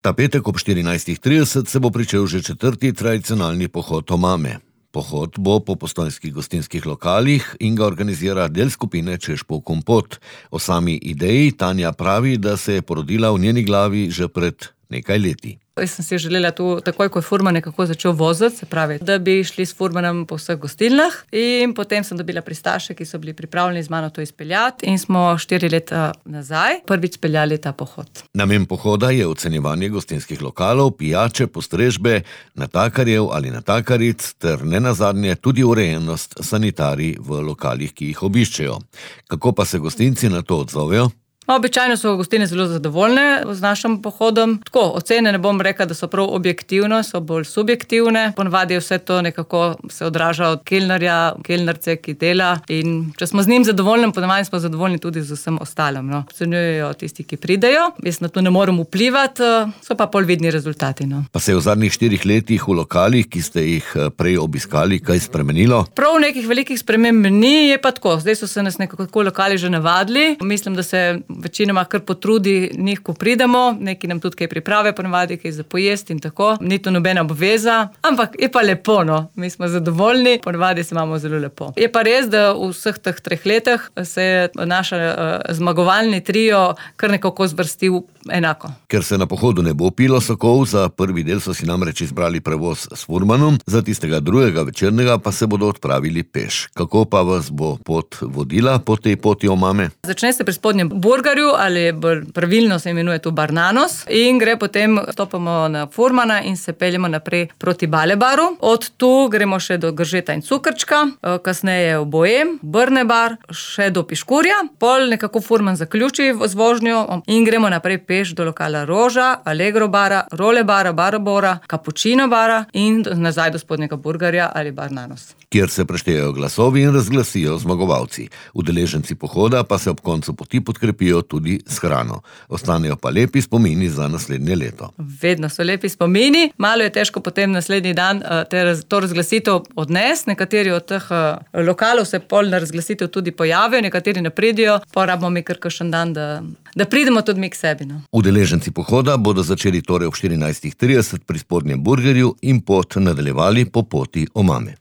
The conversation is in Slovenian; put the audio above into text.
Ta petek ob 14.30 se bo pričel že 4. tradicionalni pohod omame. Pohod bo po postojnskih gostinskih lokalih in ga organizira del skupine Češpov kompot. O sami ideji Tanja pravi, da se je porodila v njeni glavi že pred nekaj leti. Jaz sem si želela tu takoj, ko je furman nekako začel voziti, se pravi, da bi šli s furmanom po vseh gostilnah, in potem sem dobila pristaše, ki so bili pripravljeni z mano to izpeljati, in smo 4 leta nazaj prvič speljali ta pohod. Namen pohoda je ocenjevanje gostinskih lokalov, pijače, postrežbe, natakarjev ali natakaric ter nenazadnje tudi urejenost sanitarij v lokalih, ki jih obiščejo. Kako pa se gostinci na to odzovejo? Običajno so gostine zelo zadovoljne z našim pohodom. Tako, ocene ne bom rekla, da so prav objektivne, so bolj subjektivne. Ponavadi vse to nekako se odraža od kelnerja, kelnerce, ki dela. In če smo z njim zadovoljni, ponavadi smo zadovoljni tudi z vsem ostalim. No. Ocenjujejo tisti, ki pridejo. Jaz na to ne morem vplivati, so pa pol vidni rezultati. No. Pa se je v zadnjih 4 letih v lokalih, ki ste jih prej obiskali, kaj spremenilo? Prav nekih velikih sprememb ni, je pa tako. Zdaj so se nas nekako lokali že navadili. Mislim, da se večinoma kar potrudi njih, ko pridemo, neki nam tudi kaj priprave, ponavadi kaj za pojesti in tako. Ni to nobena obveza, ampak je pa lepo, no. Mi smo zadovoljni, ponavadi se imamo zelo lepo. Je pa res, da v vseh teh 3 letih se je naš zmagovalni trio kar nekako zvrstil enako. Ker se na pohodu ne bo pilo sokov, za prvi del so si namreč izbrali prevoz s furmanom, za tistega drugega večernega pa se bodo odpravili peš. Kako pa vas bo pot vodila po tej poti omame? Začne se pri spodnjem burgerju, ali pravilno se imenuje tu Barnanos, in gre potem, stopamo na furmana in se peljemo naprej proti Balebaru. Od tu gremo še do Gržeta in Cukrčka, kasneje v Bojem, Brne bar, še do Piškurja. Pol nekako furman zaključi z vožnjo in gremo naprej peš do lokala Roža, Allegro bara, Role bara, Barabora, Cappuccino bara in nazaj do spodnjega burgerja ali Barnanos, kjer se preštejejo glasovi in razglasijo zmagovalci. Udeleženci pohoda pa se ob koncu poti podkrepijo tudi s hrano. Ostanejo pa lepi spomini za naslednje leto. Vedno so lepi spomini, malo je težko potem naslednji dan to razglasitev odnesti. Nekateri od teh lokalov se pol na razglasitev tudi pojavijo, nekateri ne pridijo, pa rabimo mi kar kakšen dan, da pridemo tudi mi k sebi. No. Udeleženci pohoda bodo začeli torej ob 14.30 pri spodnjem burgerju in pot nadaljevali po poti omame.